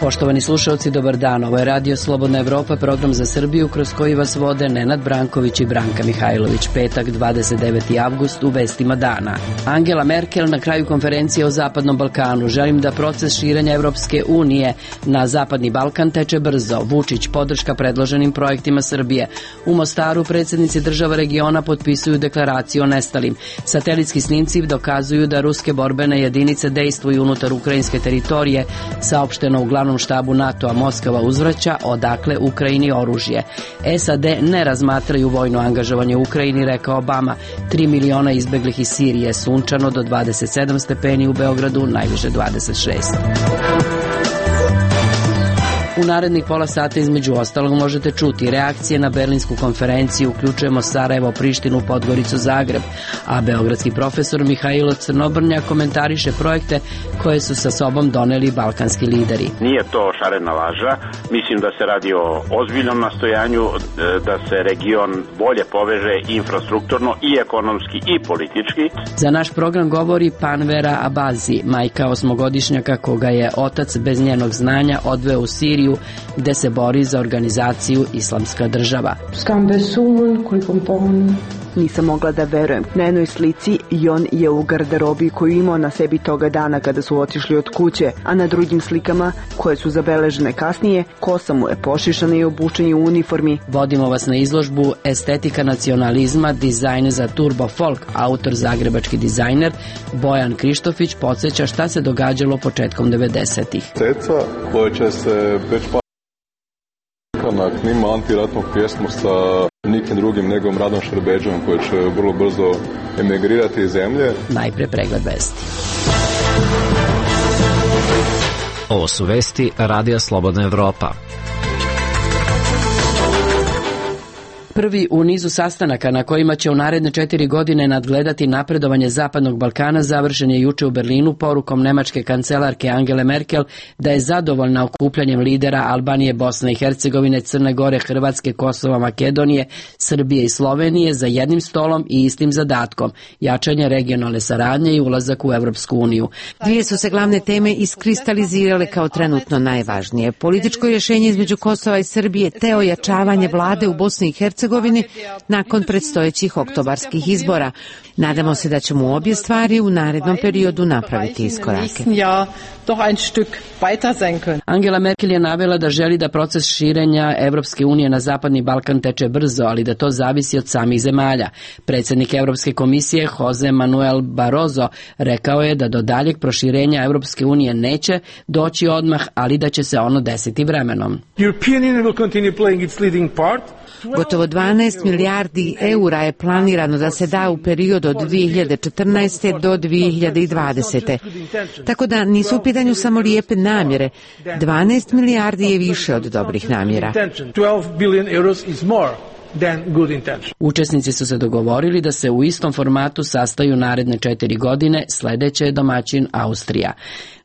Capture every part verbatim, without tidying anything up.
Poštovani slušalci, dobar dan. Ovo je Radio Slobodna Evropa, program za Srbiju kroz koji vas vode Nenad Branković i Branka Mihajlović. Petak, dvadeset deveti avgust, u vestima dana. Angela Merkel na kraju konferencije o Zapadnom Balkanu. Želim da proces širenja Evropske unije na Zapadni Balkan teče brzo. Vučić podrška predloženim projektima Srbije. U Mostaru predsjednici država regiona potpisuju deklaraciju o nestalim. Satelitski snimci dokazuju da ruske borbene jedinice dejstvuju unutar ukrajinske teritorije, saopšteno u glavnom štabu NATO-a. Moskva uzvraća odakle Ukrajini oružje. S A D ne razmatraju vojno angažovanje u Ukrajini, rekao Obama. Tri miliona izbeglih iz Sirije, sunčano do dvadeset sedam stepeni, u Beogradu najviše dvadeset šest. U narednih pola sata između ostalog možete čuti reakcije na berlinsku konferenciju, uključujemo Sarajevo, Prištinu, Podgoricu, Zagreb, a beogradski profesor Mihajlo Crnobrnja komentariše projekte koje su sa sobom doneli balkanski lideri. Nije to šarena laža, mislim da se radi o ozbiljnom nastojanju da se region bolje poveže infrastrukturno i ekonomski i politički. Za naš program govori Panvera Abazi, majka osmogodišnjaka koga je otac bez njenog znanja odveo u Siriju, gde se bori za organizaciju Islamska država. Nisam mogla da verujem. Na jednoj slici Jon je u garderobi koju imao na sebi toga dana kada su otišli od kuće, a na drugim slikama, koje su zabeležene kasnije, kosa mu je pošišana i obučen je u uniformi. Vodimo vas na izložbu Estetika nacionalizma, dizajn za turbo folk. Autor, zagrebački dizajner Bojan Krištofić podsjeća šta se događalo početkom devedesetih. Ceca koja će se već pa na knima antiratnog pjesmu sa nikim drugim nego Radom Šerbeđom, koji će vrlo brzo emigrirati iz zemlje. Najpre pregled vesti. Ovo su vesti Radija Slobodna Evropa. Prvi u nizu sastanaka na kojima će u naredne četiri godine nadgledati napredovanje Zapadnog Balkana završen je juče u Berlinu porukom nemačke kancelarke Angele Merkel da je zadovoljna okupljanjem lidera Albanije, Bosne i Hercegovine, Crne Gore, Hrvatske, Kosova, Makedonije, Srbije i Slovenije za jednim stolom i istim zadatkom, jačanje regionalne saradnje i ulazak u Evropsku uniju. Dvije su se glavne teme iskristalizirale kao trenutno najvažnije. Političko rješenje između Kosova i Srbije te ojačavanje vlade u Bosni i Hercegovini nakon predstojećih oktobarskih izbora. Nadamo se da ćemo u obje stvari u narednom periodu napraviti iskorake. Angela Merkel je navela da želi da proces širenja Evropske unije na Zapadni Balkan teče brzo, ali da to zavisi od samih zemalja. Predsjednik Evropske komisije Jose Manuel Barroso rekao je da do daljeg proširenja Evropske unije neće doći odmah, ali da će se ono desiti vremenom. Gotovo dvanaest milijardi eura je planirano da se da u periodu od dvije hiljade četrnaeste. do dvije hiljade dvadesete. Tako da nisu u pitanju samo lijepe namjere. dvanaest milijardi je više od dobrih namjera. Učesnici su se dogovorili da se u istom formatu sastaju naredne četiri godine, sledeće je domaćin Austrija.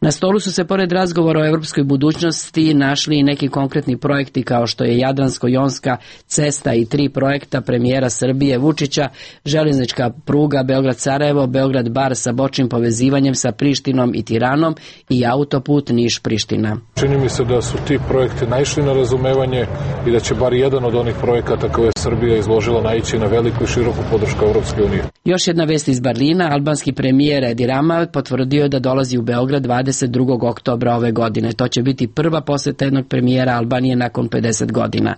Na stolu su se pored razgovora o evropskoj budućnosti našli i neki konkretni projekti kao što je Jadransko-jonska cesta i tri projekta premijera Srbije Vučića, željeznička pruga Beograd-Sarajevo, Beograd-Bar sa bočnim povezivanjem sa Prištinom i Tiranom i autoput Niš-Priština. Čini mi se da su ti projekti naišli na razumevanje i da će bar jedan od onih projekata koje je Srbija izložila naići na veliku i široku podršku Evropske unije. Još jedna vest iz Berlina, albanski premijer Edi Rama potvrdio da dolazi u Beograd dvadeset drugog oktobra ove godine. To će biti prva poseta jednog premijera Albanije nakon pedeset godina.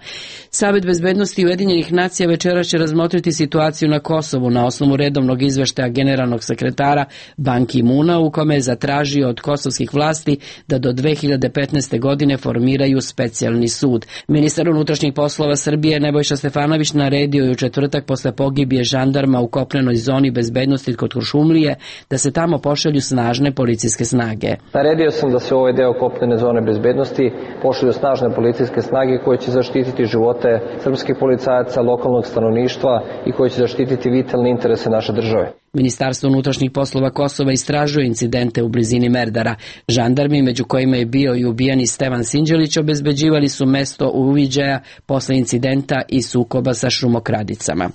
Savet bezbednosti Ujedinjenih nacija večeras će razmotriti situaciju na Kosovu na osnovu redovnog izveštaja generalnog sekretara Ban Ki-muna, u kome je zatražio od kosovskih vlasti da do dve hiljade petnaeste. godine formiraju specijalni sud. Ministar unutrašnjih poslova Srbije Nebojša Stefanović naredio je u četvrtak posle pogibije žandarma u kopnenoj zoni bezbednosti kod Kuršumlije da se tamo pošalju snažne policijske snage. Naredio sam da se u ovaj deo kopnene zone bezbednosti pošalju snažne policijske snage koje će zaštititi živote srpskih policajaca, lokalnog stanovništva i koje će zaštititi vitalne interese naše države. Ministarstvo unutrašnjih poslova Kosova istražuje incidente u blizini Merdara. Žandarmi, među kojima je bio i ubijani Stevan Sinđelić, obezbeđivali su mesto uviđaja posle incidenta i sukoba sa šumokradicama.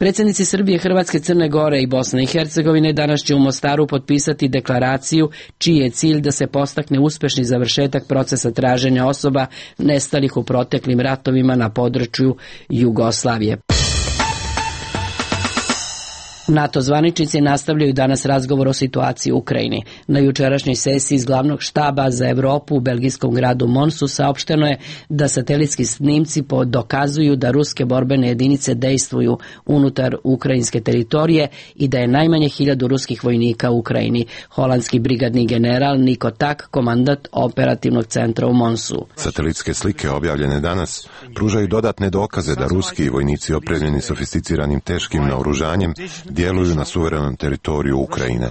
Predsjednici Srbije, Hrvatske, Crne Gore i Bosne i Hercegovine danas će u Mostaru potpisati deklaraciju čiji je cilj da se postakne uspešni završetak procesa traženja osoba nestalih u proteklim ratovima na području Jugoslavije. NATO zvaničnici nastavljaju danas razgovor o situaciji u Ukrajini. Na jučerašnjoj sesiji iz glavnog štaba za Evropu u belgijskom gradu Monsu saopšteno je da satelitski snimci dokazuju da ruske borbene jedinice dejstvuju unutar ukrajinske teritorije i da je najmanje hiljadu ruskih vojnika u Ukrajini. Holandski brigadni general Niko Tak, komandant operativnog centra u Monsu. Satelitske slike objavljene danas pružaju dodatne dokaze da ruski vojnici opremljeni sofisticiranim teškim naoružanjem djeluju na suverenom teritoriju Ukrajine.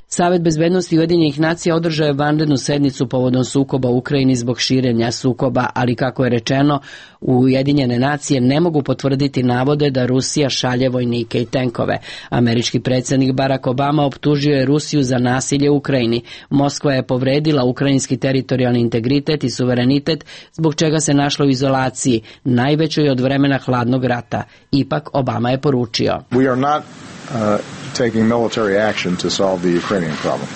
Savet bezbednosti Ujedinjenih nacija održao je vanrednu sednicu povodom sukoba u Ukrajini zbog širenja sukoba, ali kako je rečeno, Ujedinjene nacije ne mogu potvrditi navode da Rusija šalje vojnike i tenkove. Američki predsjednik Barack Obama optužio je Rusiju za nasilje u Ukrajini. Moskva je povredila ukrajinski teritorijalni integritet i suverenitet, zbog čega se našla u izolaciji, najvećoj od vremena hladnog rata. Ipak Obama je poručio: We are not uh...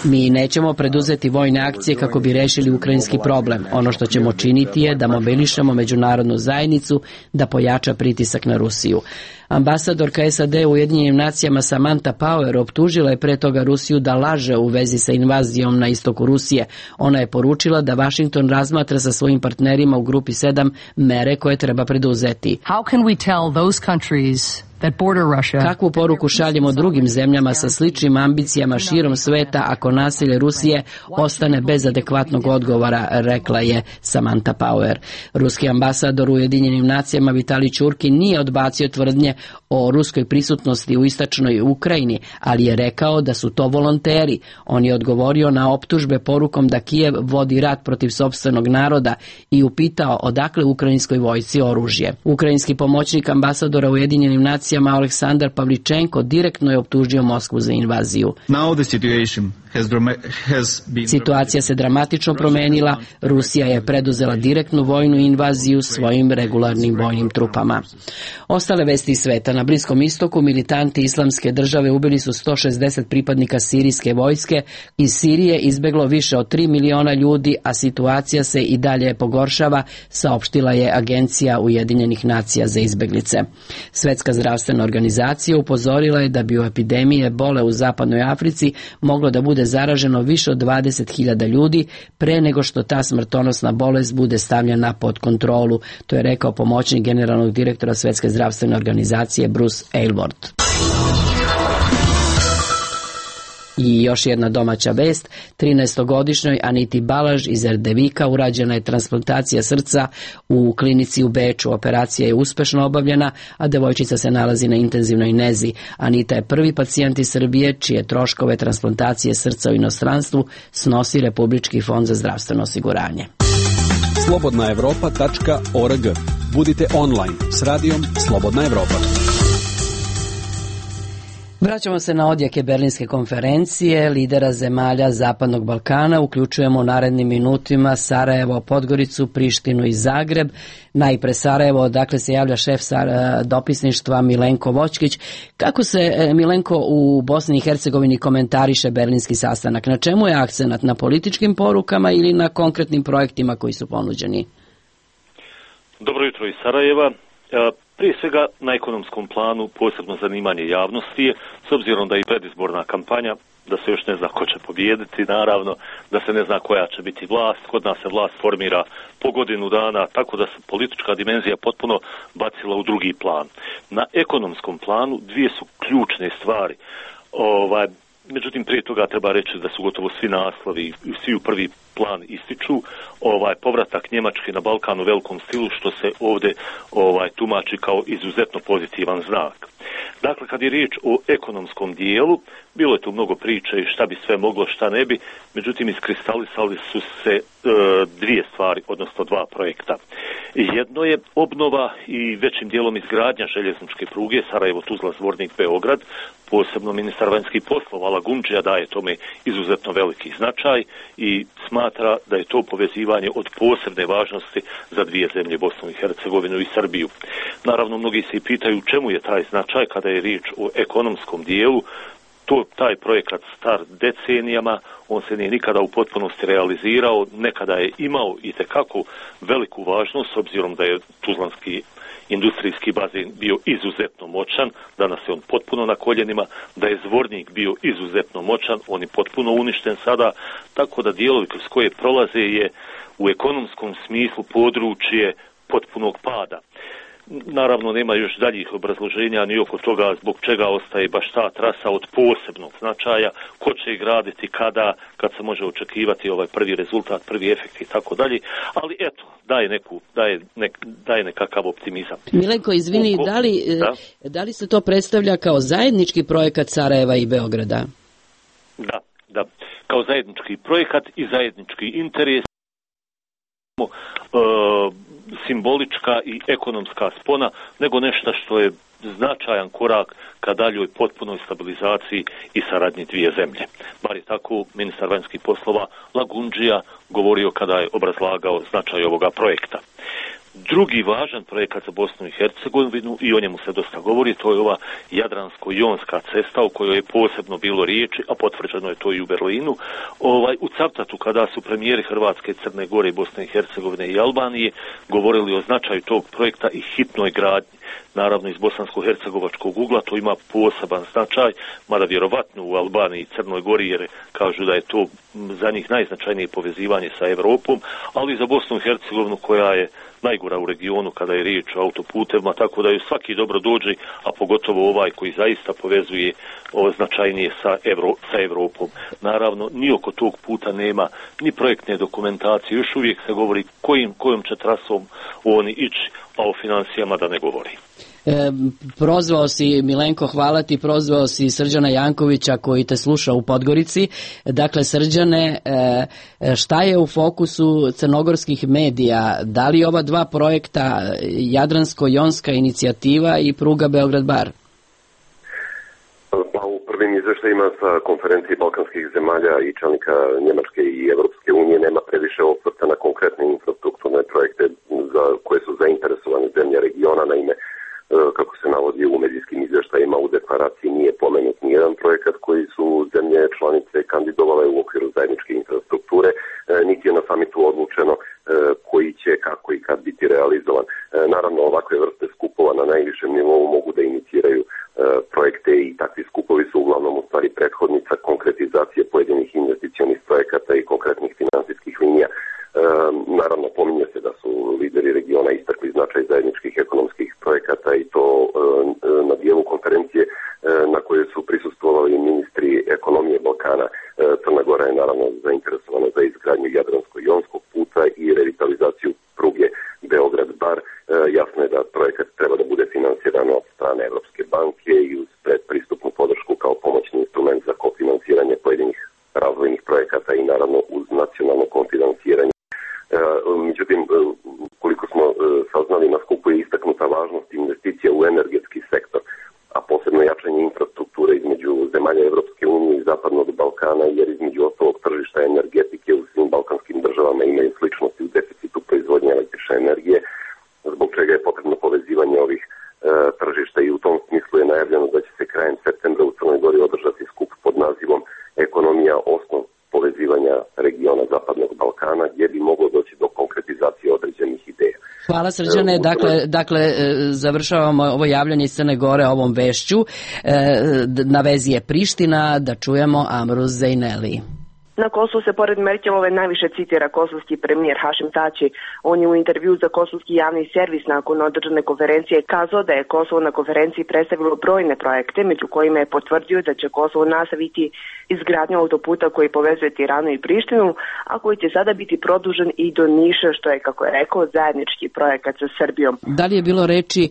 Mi nećemo preduzeti vojne akcije kako bi rešili ukrajinski problem. Ono što ćemo činiti je da mobilišemo međunarodnu zajednicu da pojača pritisak na Rusiju. Ambasadorka S A D u Ujedinjenim nacijama Samantha Power optužila je pre toga Rusiju da laže u vezi sa invazijom na istoku Rusije. Ona je poručila da Washington razmatra sa svojim partnerima u grupi sedam mere koje treba preduzeti. How can we tell those countries that border Russia? Kakvu poruku šaljemo drugim zemljama sa sličnim ambicijama širom sveta ako nasilje Rusije ostane bez adekvatnog odgovora, rekla je Samantha Power. Ruski ambasador u Ujedinjenim nacijama Vitali Čurkin nije odbacio tvrdnje o ruskoj prisutnosti u istočnoj Ukrajini, ali je rekao da su to volonteri. On je odgovorio na optužbe porukom da Kijev vodi rat protiv sopstvenog naroda i upitao odakle ukrajinskoj vojsci oružje. Ukrajinski pomoćnik ambasadora u Ujedinjenim nacijama Aleksandar Pavličenko direktno je optužio Moskvu za invaziju. Situacija se dramatično promenila. Rusija je preduzela direktnu vojnu invaziju svojim regularnim vojnim trupama. Ostale vesti iz sveta. Na Bliskom istoku militanti Islamske države ubili su sto šezdeset pripadnika sirijske vojske. Iz Sirije izbeglo više od tri miliona ljudi, a situacija se i dalje pogoršava, saopštila je Agencija Ujedinjenih nacija za izbeglice. Svetska zdravstvena organizacija upozorila je da bi u epidemiji ebole u zapadnoj Africi moglo da bude zaraženo više od dvadeset hiljada ljudi pre nego što ta smrtonosna bolest bude stavljena pod kontrolu. To je rekao pomoćnik generalnog direktora Svetske zdravstvene organizacije Bruce Aylward. I još jedna domaća vest, trinaestogodišnjoj Aniti Balaž iz Erdevika urađena je transplantacija srca u klinici u Beču. Operacija je uspešno obavljena, a devojčica se nalazi na intenzivnoj nezi. Anita je prvi pacijent iz Srbije čije troškove transplantacije srca u inostranstvu snosi Republički fond za zdravstveno osiguranje. slobodna evropa tačka org. Budite online s radijom Slobodna Evropa. Vraćamo se na odjeke Berlinske konferencije lidera zemalja Zapadnog Balkana. Uključujemo u narednim minutima Sarajevo, Podgoricu, Prištinu i Zagreb. Najpre Sarajevo, dakle se javlja šef dopisništva Milenko Vočkić. Kako se, Milenko, u Bosni i Hercegovini komentariše berlinski sastanak? Na čemu je akcenat? Na političkim porukama ili na konkretnim projektima koji su ponuđeni? Dobro jutro iz Sarajeva. Prije svega na ekonomskom planu posebno zanimanje javnosti je, s obzirom da je i predizborna kampanja, da se još ne zna ko će pobijediti, naravno, da se ne zna koja će biti vlast. Kod nas se vlast formira po godinu dana, tako da se politička dimenzija potpuno bacila u drugi plan. Na ekonomskom planu dvije su ključne stvari. Ovaj, međutim, prije toga treba reći da su gotovo svi naslovi i svi u prvi plan ističu ovaj povratak Njemačke na Balkan u velikom stilu, što se ovdje ovaj tumači kao izuzetno pozitivan znak. Dakle, kad je riječ o ekonomskom dijelu, bilo je tu mnogo priče i šta bi sve moglo, šta ne bi, međutim iskristalisali su se e, dvije stvari, odnosno dva projekta. Jedno je obnova i većim dijelom izgradnja željezničke pruge Sarajevo-Tuzla-Zvornik-Beograd. Posebno ministar vanjskih poslova Lagundžija daje tome izuzetno veliki značaj i smatra da je to povezivanje od posebne važnosti za dvije zemlje, Bosnu i Hercegovinu i Srbiju. Naravno, mnogi se i pitaju čemu je taj značaj kada je riječ o ekonomskom dijelu. To, taj projekat star decenijama, on se nije nikada u potpunosti realizirao, nekada je imao itekako veliku važnost, s obzirom da je tuzlanski industrijski bazen bio izuzetno moćan, danas je on potpuno na koljenima, da je Zvornik bio izuzetno moćan, on je potpuno uništen sada, tako da dijelovi kroz koje prolaze je u ekonomskom smislu područje potpunog pada. Naravno, nema još daljih obrazloženja ni oko toga zbog čega ostaje baš ta trasa od posebnog značaja, ko će graditi, kada, kad se može očekivati ovaj prvi rezultat, prvi efekt i tako dalje, ali eto, daje, neku, daje, nek, daje nekakav optimizam. Milenko, izvini, Oko, da, li, da? da li se to predstavlja kao zajednički projekat Sarajeva i Beograda? Da, da, kao zajednički projekat i zajednički interes. Uh, simbolička i ekonomska spona, nego nešto što je značajan korak ka daljoj potpunoj stabilizaciji i saradnji dvije zemlje. Bar je tako ministar vanjskih poslova Lagundžija govorio kada je obrazlagao značaj ovoga projekta. Drugi važan projekat za Bosnu i Hercegovinu, i o njemu se dosta govori, to je ova Jadransko-jonska cesta o kojoj je posebno bilo riječi, a potvrđeno je to i u Berlinu. Ovaj, u Cavtatu, kada su premijeri Hrvatske, Crne Gore, Bosne i Hercegovine i Albanije govorili o značaju tog projekta i hitnoj gradnji, naravno iz bosansko-hercegovačkog ugla, to ima poseban značaj, mada vjerovatno u Albaniji i Crnoj Gori, jer kažu da je to za njih najznačajnije povezivanje sa Evropom, ali i za Bosnu i Hercegovinu koja je najgora u regionu kada je riječ o autoputevima, tako da ju svaki dobro dođe, a pogotovo ovaj koji zaista povezuje ovo značajnije sa, Evro, sa Evropom. Naravno, ni oko tog puta nema ni projektne dokumentacije, još uvijek se govori kojim, kojom će trasom oni ići, a o financijama da ne govori. E, prozvao si, Milenko, hvala ti, prozvao si Srđana Jankovića koji te sluša u Podgorici. Dakle, Srđane, e, šta je u fokusu crnogorskih medija? Da li ova dva projekta, Jadransko-jonska inicijativa i pruga Beograd-Bar? Pa u prvim izveštajima sa konferencije balkanskih zemalja i čelnika Njemačke i Evropske unije nema previše osvrta na konkretne infrastrukturne projekte za koje su zainteresovane zemlje regiona. Naime, kako se navodi u medijskim izvještajima, u deklaraciji nije pomenut nijedan projekat koji su zemlje članice kandidovale u okviru zajedničke infrastrukture, niti je na samitu odlučeno koji će, kako i kad biti realizovan. Naravno, ovakve vrste skupova na najvišem nivou mogu da iniciraju projekte i takvi skupovi su uglavnom u stvari prethodnica konkretizacije pojedinih investicionih projekata i konkretnih finansijskih linija. Naravno, pominje se da su lideri regiona istakli značaj zajedničkih ekonomskih projekata i to na dijelu konferencije na kojoj su prisustvovali ministri ekonomije Balkana. Crna Gora je naravno zainteresovana za izgradnju Jadransko-jonskog puta i revitalizaciju pruge Beograd-Bar. Jasno je da projekat treba da bude finansiran od strane Evropske banke i uz predpristupnu podršku kao pomoćni instrument za kofinansiranje pojedinih razvojnih projekata i naravno uz nacionalno kofinansiranje. Međutim, koliko smo saznali, na skupu je istaknuta važnost investicija u energetski sektor, a posebno jačanje infrastrukture između zemalja Evropske unije i Zapadnog Balkana, jer između ostalog tržišta energetike u svim balkanskim državama imaju sličnosti u deficitu proizvodnje električne energije, zbog čega je potrebno povezivanje ovih e, tržišta i u tom smislu je najavljeno da će se krajem septembra u Crnoj Gori održati skup pod nazivom Ekonomija, osnov povezivanja regiona Zapadnog Balkana, gdje bi moglo doći do konkretizacije određenih ideja. Hvala, Srđane. Dakle, dakle, završavamo ovo javljanje iz Crne Gore ovom vešću. Na vezi je Priština, da čujemo Amru Zejneli. Na Kosovu se pored Merkelove najviše citira kosovski premijer Hašim Tači. On je u intervju za kosovski javni servis nakon održane konferencije kazao da je Kosovo na konferenciji predstavilo brojne projekte, među kojima je potvrdio da će Kosovo nastaviti izgradnju autoputa koji povezuje Tiranu i Prištinu, a koji će sada biti produžen i do Niša, što je, kako je rekao, zajednički projekat sa Srbijom. Da li je bilo reči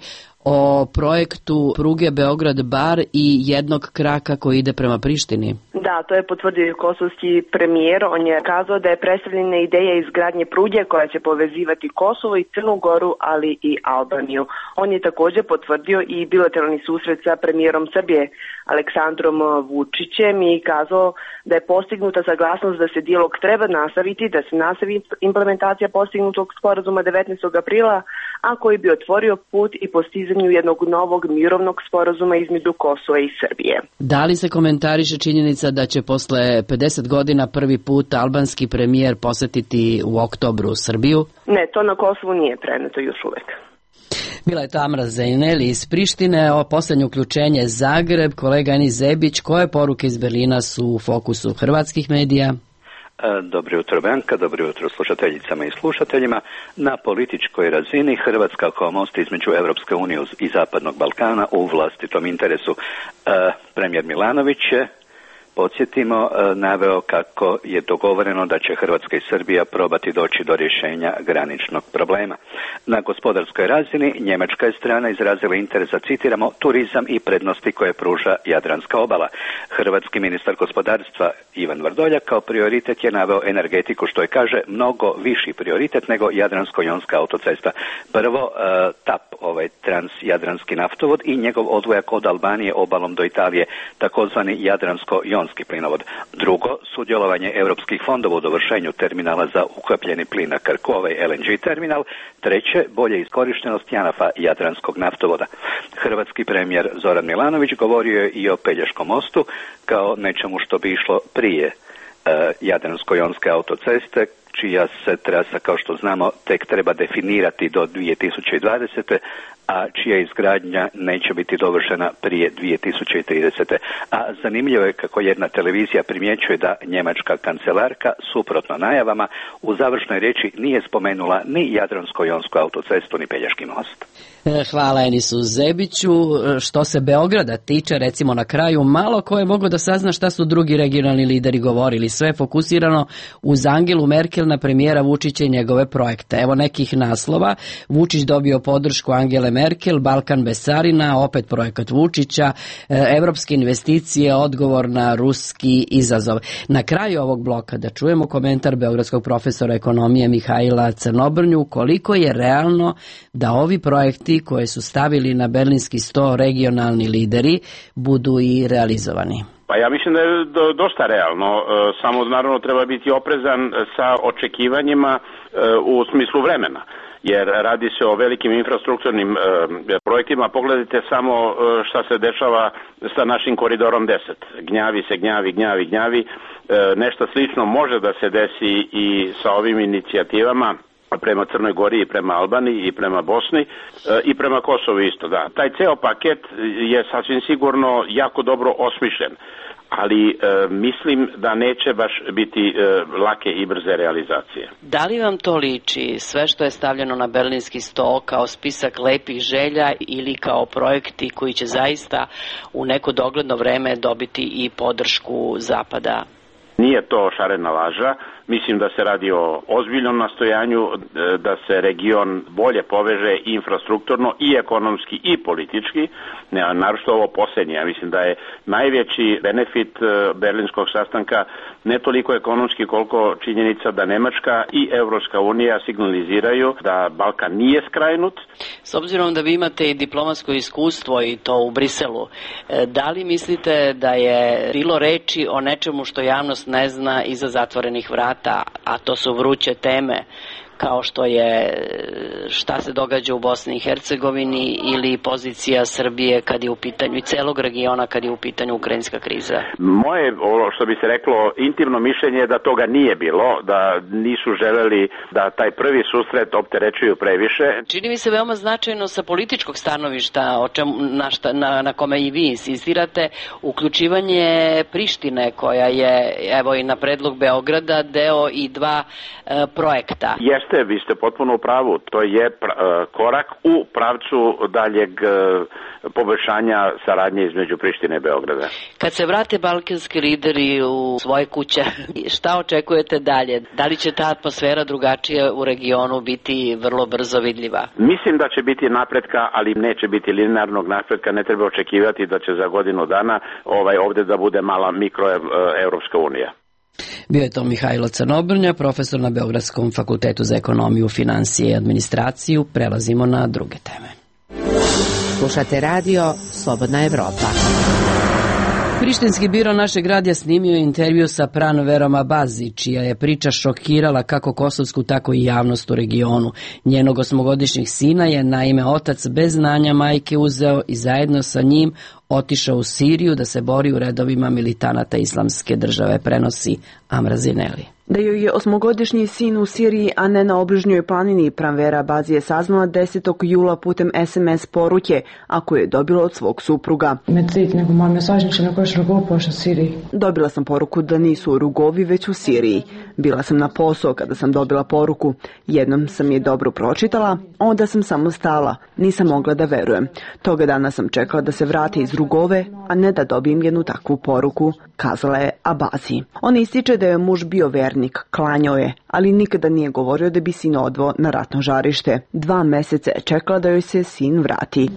o projektu pruge Beograd-Bar i jednog kraka koji ide prema Prištini. Da, to je potvrdio kosovski premijer. On je kazao da je predstavljena ideja izgradnje pruge koja će povezivati Kosovo i Crnu Goru, ali i Albaniju. On je također potvrdio i bilateralni susret sa premijerom Srbije Aleksandrom Vučićem i kazao da je postignuta saglasnost da se dijalog treba nastaviti, da se nastavi implementacija postignutog sporazuma devetnaestog aprila, a koji bi otvorio put i postizanju jednog novog mirovnog sporazuma između Kosova i Srbije. Da li se komentariše činjenica da će posle pedeset godina prvi put albanski premijer posetiti u oktobru Srbiju? Ne, to na Kosovu nije preneto još uvek. Bila je Tamara Zejneli iz Prištine, o poslednje uključenje Zagreb, kolega Enis Zebić, koje poruke iz Berlina su u fokusu hrvatskih medija? Dobro jutro Branka, dobro jutro slušateljicama i slušateljima. Na političkoj razini Hrvatska kao most između Evropske unije i Zapadnog Balkana u vlastitom interesu. Premijer Milanović je, podsjetimo, naveo kako je dogovoreno da će Hrvatska i Srbija probati doći do rješenja graničnog problema. Na gospodarskoj razini njemačka je strana izrazila interes za, citiramo, turizam i prednosti koje pruža Jadranska obala. Hrvatski ministar gospodarstva Ivan Vrdoljak kao prioritet je naveo energetiku, što je, kaže, mnogo viši prioritet nego Jadransko-jonska autocesta. Prvo, TAP, ovaj transjadranski naftovod i njegov odvojak od Albanije obalom do Italije, takozvani Jadransko-jonski plinovod. Drugo, sudjelovanje europskih fondova u dovršenju terminala za ukapljeni plin na Krku, ovaj L N G terminal. Treće, bolje iskorištenost JANAF-a Jadranskog naftovoda. Hrvatski premijer Zoran Milanović govorio je i o Pelješkom mostu kao nečemu što bi išlo prije e, Jadransko-jonske autoceste, čija se trasa, kao što znamo, tek treba definirati do dvije tisuće dvadesete, a čija izgradnja neće biti dovršena prije dvije tisuće tridesete. A zanimljivo je kako jedna televizija primjećuje da njemačka kancelarka, suprotno najavama, u završnoj riječi nije spomenula ni Jadransko-jonsku autocestu ni Pelješki most. Hvala Enisu Zebiću. Što se Beograda tiče, recimo na kraju, malo ko je mogao da sazna šta su drugi regionalni lideri govorili. Sve je fokusirano uz Angelu Merkel na premijera Vučića i njegove projekte. Evo nekih naslova. Vučić dobio podršku Angele Merkel, Balkan bez carina, opet projekat Vučića, evropske investicije, odgovor na ruski izazov. Na kraju ovog bloka da čujemo komentar beogradskog profesora ekonomije Mihajla Crnobrnju, koliko je realno da ovi projekti koje su stavili na berlinski sto regionalni lideri budu i realizovani. Pa ja mislim da je do, dosta realno, e, samo naravno treba biti oprezan sa očekivanjima e, u smislu vremena, jer radi se o velikim infrastrukturnim e, projektima. Pogledajte samo e, šta se dešava sa našim koridorom deset. Gnjavi se, gnjavi, gnjavi, gnjavi. E, nešto slično može da se desi i sa ovim inicijativama prema Crnoj Gori i prema Albaniji i prema Bosni e, i prema Kosovu isto, da. Taj ceo paket je sasvim sigurno jako dobro osmišljen, ali e, mislim da neće baš biti e, lake i brze realizacije. Da li vam to liči sve što je stavljeno na berlinski sto kao spisak lepih želja ili kao projekti koji će zaista u neko dogledno vreme dobiti i podršku Zapada? Nije to šarena laža. Mislim da se radi o ozbiljnom nastojanju da se region bolje poveže infrastrukturno i ekonomski i politički, naročito ovo posljednje. Ja mislim da je najveći benefit berlinskog sastanka ne toliko ekonomski koliko činjenica da Nemačka i Evropska unija signaliziraju da Balkan nije skrajnut. S obzirom da vi imate i diplomatsko iskustvo i to u Briselu, da li mislite da je bilo reči o nečemu što javnost ne zna iza zatvorenih vrata, a to su vruće teme kao što je šta se događa u Bosni i Hercegovini ili pozicija Srbije kad je u pitanju i celog regiona kad je u pitanju ukrajinska kriza? Moje, što bi se reklo, intimno mišljenje je da toga nije bilo, da nisu želeli da taj prvi susret opterećuju previše. Čini mi se veoma značajno sa političkog stanovišta, o čemu, na, šta, na, na kome i vi insistirate, uključivanje Prištine koja je, evo i na predlog Beograda, deo i dva e, projekta. Jeste. Jeste, vi ste potpuno u pravu. To je korak u pravcu daljeg poboljšanja saradnje između Prištine i Beograda. Kad se vrate balkanski lideri u svoje kuće, šta očekujete dalje? Da li će ta atmosfera drugačija u regionu biti vrlo brzo vidljiva? Mislim da će biti napretka, ali neće biti linearnog napretka. Ne treba očekivati da će za godinu dana ovaj ovde da bude mala mikroevropska unija. Bio je to Mihajlo Crnobrnja, profesor na Beogradskom fakultetu za ekonomiju, financije i administraciju. Prelazimo na druge teme. Slušate radio Slobodna Evropa. Prištinski biro našeg radija snimio je intervju sa Pranverom Abazi, čija je priča šokirala kako kosovsku, tako i javnost u regionu. Njenog osmogodišnjeg sina je, naime, otac bez znanja majke uzeo i zajedno sa njim otišao u Siriju da se bori u redovima militanata Islamske države, prenosi Amra Zineli. Da joj je osmogodišnji sin u Siriji, a ne na obližnjoj planini, Pranvera Abazi je saznala desetog jula putem es em es poruke, a koju je dobila od svog supruga. Dobila sam poruku da nisu u Rugovi, već u Siriji. Bila sam na posao kada sam dobila poruku. Jednom sam je dobro pročitala, onda sam samo stala. Nisam mogla da verujem. Toga dana sam čekala da se vrati iz Rugove, a ne da dobijem jednu takvu poruku, kazala je Abazi. Ona ističe da je muž bio vernik, klanjao je, ali nikada nije govorio da bi sin odveo na ratno žarište. Dva meseca je čekala da joj se sin vrati.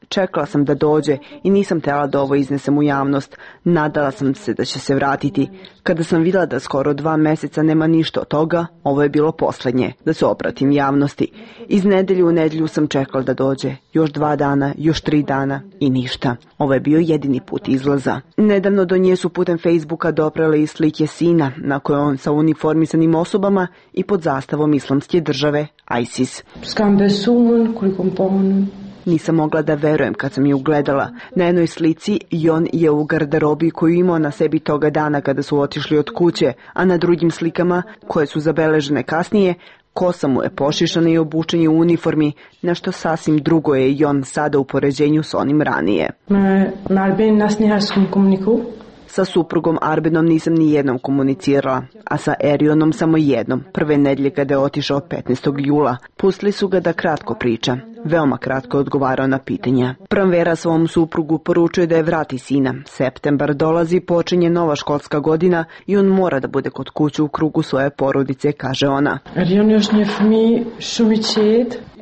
Čekala sam da dođe i nisam htjela da ovo iznesem u javnost. Nadala sam se da će se vratiti. Kada sam vidjela da skoro dva meseca nema ništa od toga, ovo je bilo posljednje, da se obratim javnosti. Iz nedelju u nedelju sam čekala da dođe. Još dva dana, još tri dana i ništa. Ovo je bio jedini put izlaza. Nedavno do nje su putem Facebooka doprele i slike sina, na kojoj on sa uniformisanim osobama i pod zastavom Islamske države ISIS. Nisam mogla da verujem kad sam je ugledala. Na jednoj slici Jon je u garderobi koju imao na sebi toga dana kada su otišli od kuće, a na drugim slikama, koje su zabeležene kasnije, kosa mu je pošišana i obučen je u uniformi, nešto sasvim drugo je Jon sada u poređenju s onim ranije. Sa suprugom Arbenom nisam ni jednom komunicirala, a sa Erionom samo jednom, prve nedelje kada je otišao petnaestog jula. Pustili su ga da kratko priča. Veoma kratko je odgovarao na pitanja. Pranvera svom suprugu poručuje da je vrati sina. Septembar dolazi, počinje nova školska godina i on mora da bude kod kuće u krugu svoje porodice, kaže ona.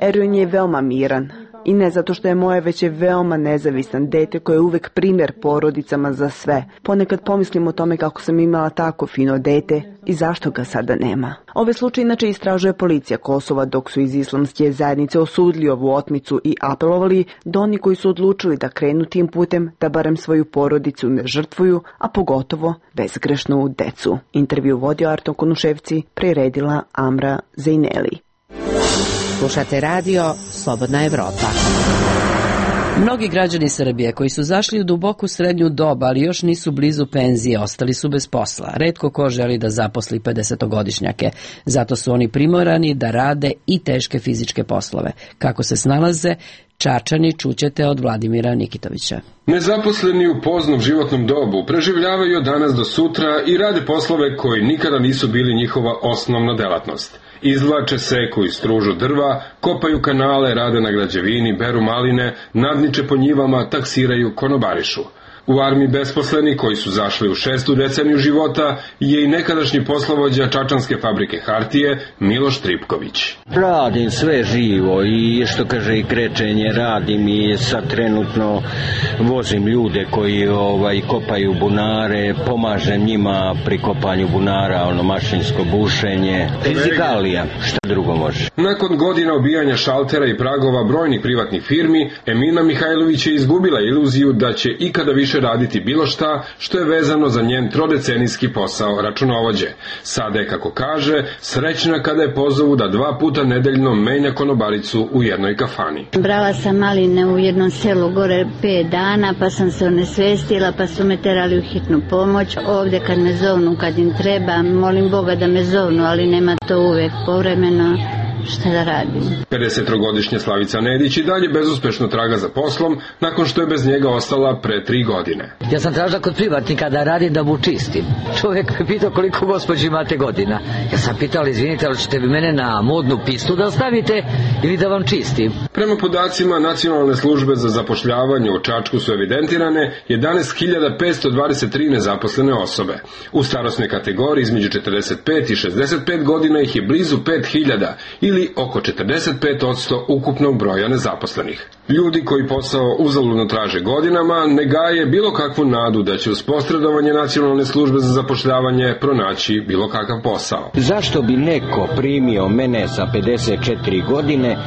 Erion je veoma miran. I ne zato što je moje, već je veoma nezavisan dete koje je uvek primjer porodicama za sve. Ponekad pomislim o tome kako sam imala tako fino dete i zašto ga sada nema. Ove slučaje inače istražuje policija Kosova, dok su iz islamske zajednice osudili ovu otmicu i apelovali da oni koji su odlučili da krenu tim putem da barem svoju porodicu ne žrtvuju, a pogotovo bezgrešnu decu. Intervju vodio Arto Konuševci, priredila Amra Zineli. Slušate radio Slobodna Evropa. Mnogi građani Srbije koji su zašli u duboku srednju dob, ali još nisu blizu penzije, ostali su bez posla. Retko ko želi da zaposli pedesetogodišnjake. Zato su oni primorani da rade i teške fizičke poslove. Kako se snalaze, Čačani čućete od Vladimira Nikitovića. Nezaposleni u poznom životnom dobu preživljavaju od danas do sutra i rade poslove koji nikada nisu bili njihova osnovna delatnost. Izvlače seku i stružu drva, kopaju kanale, rade na građevini, beru maline, nadniče po njivama, taksiraju, konobarišu. U armiji besposleni koji su zašli u šestu deceniju života je i nekadašnji poslovođa čačanske fabrike hartije Miloš Tripković. Radim sve živo i što kaže i krečenje radim i sad trenutno vozim ljude koji ovaj kopaju bunare, pomažem njima pri kopanju bunara, ono mašinsko bušenje, fizikalija, šta drugo može. Nakon godina obijanja šaltera i pragova brojnih privatnih firmi, Emina Mihajlović je izgubila iluziju da će ikada više raditi bilo šta što je vezano za njen trodecenijski posao računovođe. Sada je, kako kaže, srećna kada je pozovu da dva puta nedeljno menja konobaricu u jednoj kafani. Brala sam maline u jednom selu gore pet dana, pa sam se onesvestila, pa su me terali u hitnu pomoć. Ovde kad me zovnu, kad im treba, molim Boga da me zovnu, ali nema to uvek povremeno. šta da radim. pedesetogodišnja Slavica Nedić i dalje bezuspešno traga za poslom nakon što je bez njega ostala pre tri godine. Ja sam tražila kod privatnika da radim da mu čistim. Čovjek me pitao koliko gospođi imate godina. Ja sam pitala, izvinite, ali ćete vi mene na modnu pistu da ostavite ili da vam čistim? Prema podacima Nacionalne službe za zapošljavanje u Čačku su evidentirane jedanaest hiljada petsto dvadeset tri nezaposlene osobe. U starosnoj kategoriji između četrdeset pet i šezdeset pet godina ih je blizu pet hiljada ili oko četrdeset pet posto ukupnog broja nezaposlenih. Ljudi koji posao uzaludno traže godinama ne gaje bilo kakvu nadu da će uz posredovanje Nacionalne službe za zapošljavanje pronaći bilo kakav posao. Zašto bi neko primio mene sa pedeset četiri godine,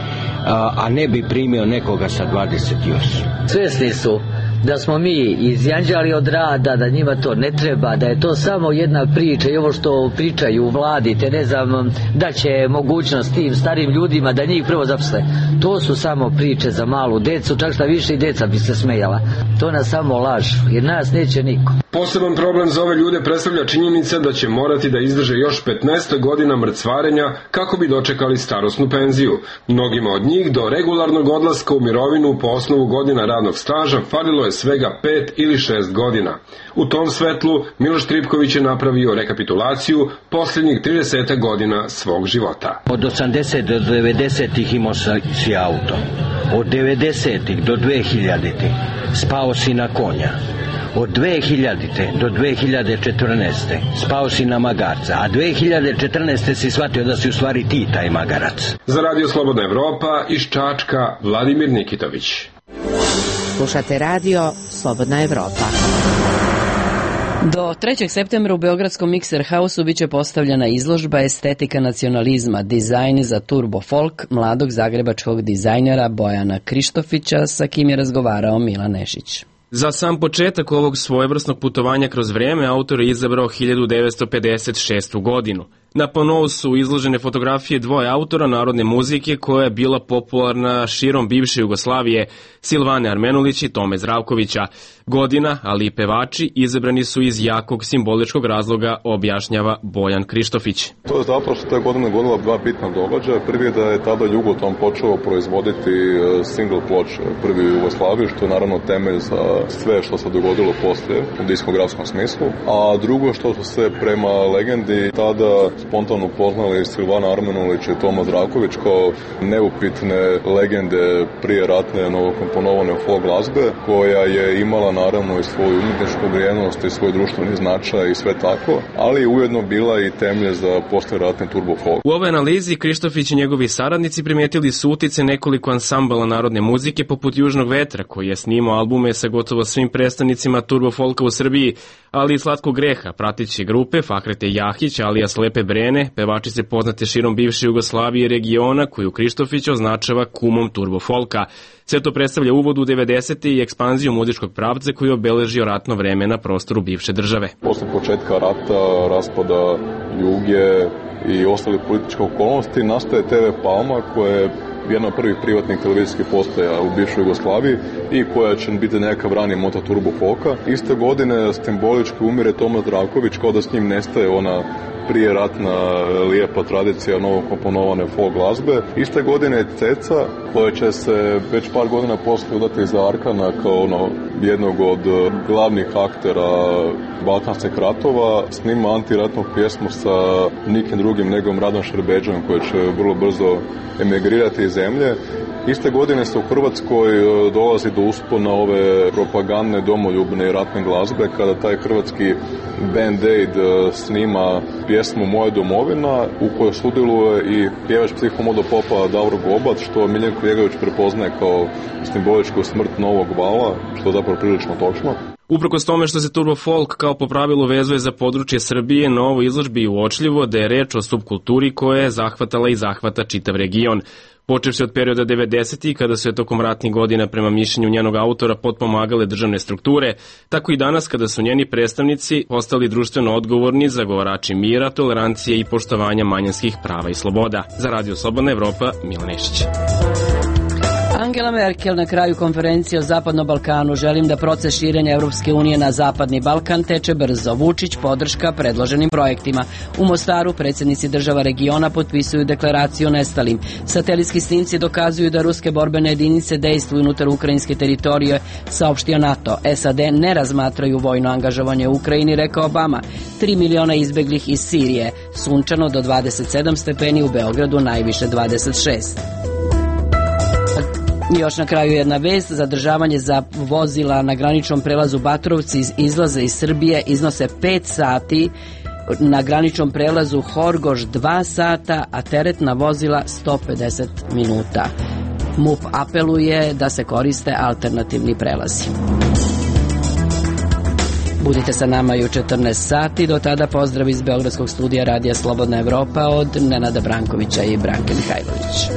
a, a ne bi primio nekoga sa dvadeset osam? Svjesni su da smo mi izjanđali od rada, da njima to ne treba, da je to samo jedna priča i ovo što pričaju u vladi, te ne znam, da će mogućnost tim starim ljudima da njih prvo zaposle. To su samo priče za malu decu, čak šta više i deca bi se smejala. To nas samo lažu, jer nas neće niko. Poseban problem za ove ljude predstavlja činjenica da će morati da izdrže još petnaest godina mrcvarenja kako bi dočekali starosnu penziju. Mnogima od njih do regularnog odlaska u mirovinu po osnovu godina radnog staža falilo je svega pet ili šest godina. U tom svetlu Miloš Tripković je napravio rekapitulaciju posljednjih trideset godina svog života. Od osamdeset do devedesetih imao si auto. Od devedesetih do dve hiljaditih spao si na konja. Od dve hiljadite do dve hiljade četrnaeste spao si na magarca, a dve hiljade četrnaeste si shvatio da si u stvari ti taj magarac. Za Radio Slobodna Evropa iz Čačka, Vladimir Nikitović. Slušate radio Slobodna Evropa. Do trećeg septembra u Beogradskom Mikser Hausu biće postavljena izložba Estetika nacionalizma, dizajn za turbo folk mladog zagrebačkog dizajnera Bojana Krištofića, sa kim je razgovarao Milan Nešić. Za sam početak ovog svojevrsnog putovanja kroz vrijeme autor je izabrao hiljadu devetsto pedeset šestu godinu. Na panovu su izložene fotografije dvoje autora narodne muzike koja je bila popularna širom bivše Jugoslavije, Silvane Armenulić i Tome Zdravkovića. Godina, ali i pevači izabrani su iz jakog simboličkog razloga, objašnjava Bojan Krištofić. To je zapravo što je godina godila dva bitna događaja. Prvi je da je tada Jugoton počeo proizvoditi single ploče prvi u Jugoslaviji, što je naravno temelj za sve što se dogodilo poslije u diskografskom smislu. A drugo što su se prema legendi tada spontano upoznali Silvana Armenulić i Toma Zdravković kao neupitne legende prije ratne novokomponovane folk glazbe, koja je imala naravno i svoju umjetničku vrijednost i svoj društveni značaj i sve tako, ali ujedno bila i temelj za posleratni turbo folk. U ovoj analizi Krištofić i njegovi saradnici primijetili su utice nekoliko ansambala narodne muzike poput Južnog vetra, koji je snimao albume sa gotovo svim predstavnicima turbo folka u Srbiji, ali i Slatkog greha, prateće grupe Fahrete Jahić, alija Slepe Brene, pevačice poznate širom bivše Jugoslavije i regiona, koju Krištofić označava kumom turbo folka. Sve to predstavlja uvod u devedesete i ekspanziju muzičkog pravca koji je obeležio ratno vreme na prostoru bivše države. Posle početka rata, raspada Juge i ostali političke okolnosti, nastaje te ve Palma, koja je jedna od prvih privatnih televizijskih postaja u bivšoj Jugoslaviji i koja će biti neka rani moto turbo folka. Iste godine simbolički umire Toma Zdravković, kao da s njim nestaje ona prije ratna lijepa tradicija novokomponovane folk glazbe. Iste godine je Ceca, koja će se već par godina posle udati za Arkana kao ono, jednog od glavnih aktera balkanskih ratova, snima antiratnu pjesmu sa nikim drugim nego Radom Šerbeđom, koji će vrlo brzo emigrirati iz zemlje. Iste godine se u Hrvatskoj dolazi do uspona ove propagandne, domoljubne i ratne glazbe, kada taj hrvatski Band Aid snima pjesmu Moja domovina, u kojoj sudjeluje i pjevač psihomodo popa Davor Gobat, što Miljenko Jegović prepoznaje kao simboličku smrt novog vala, što je zapravo prilično točno. Uprkos tome što se turbo folk kao po pravilu vezuje za područje Srbije, na ovoj izložbi je uočljivo da je reč o subkulturi koja je zahvatala i zahvata čitav region. Počevši od perioda devedesetih, kada su je tokom ratnih godina prema mišljenju njenog autora potpomagale državne strukture, tako i danas kada su njeni predstavnici postali društveno odgovorni zagovarači mira, tolerancije i poštovanja manjinskih prava i sloboda. Za Radio Slobodna Evropa, Milan Nešić. Angela Merkel na kraju konferencije o Zapadnom Balkanu: želim da proces širenja Evropske unije na Zapadni Balkan teče brzo. Vučić podrška predloženim projektima. U Mostaru predsjednici država regiona potpisuju deklaraciju o nestalim. Satelitski snimci dokazuju da ruske borbene jedinice dejstvuju unutar ukrajinske teritorije, saopštio NATO. S A D ne razmatraju vojno angažovanje u Ukrajini, rekao Obama. Tri miliona izbeglih iz Sirije. Sunčano do dvadeset sedam stepeni, u Beogradu najviše dvadeset šest. Još na kraju jedna vest: zadržavanje za vozila na graničnom prelazu Batrovci iz izlaze iz Srbije iznose pet sati, na graničnom prelazu Horgoš dva sata, a teretna vozila sto pedeset minuta. M U P apeluje da se koriste alternativni prelazi. Budite sa nama i u četrnaest sati, do tada pozdrav iz Beogradskog studija Radija Slobodna Evropa od Nenada Brankovića i Branke Mihajlović.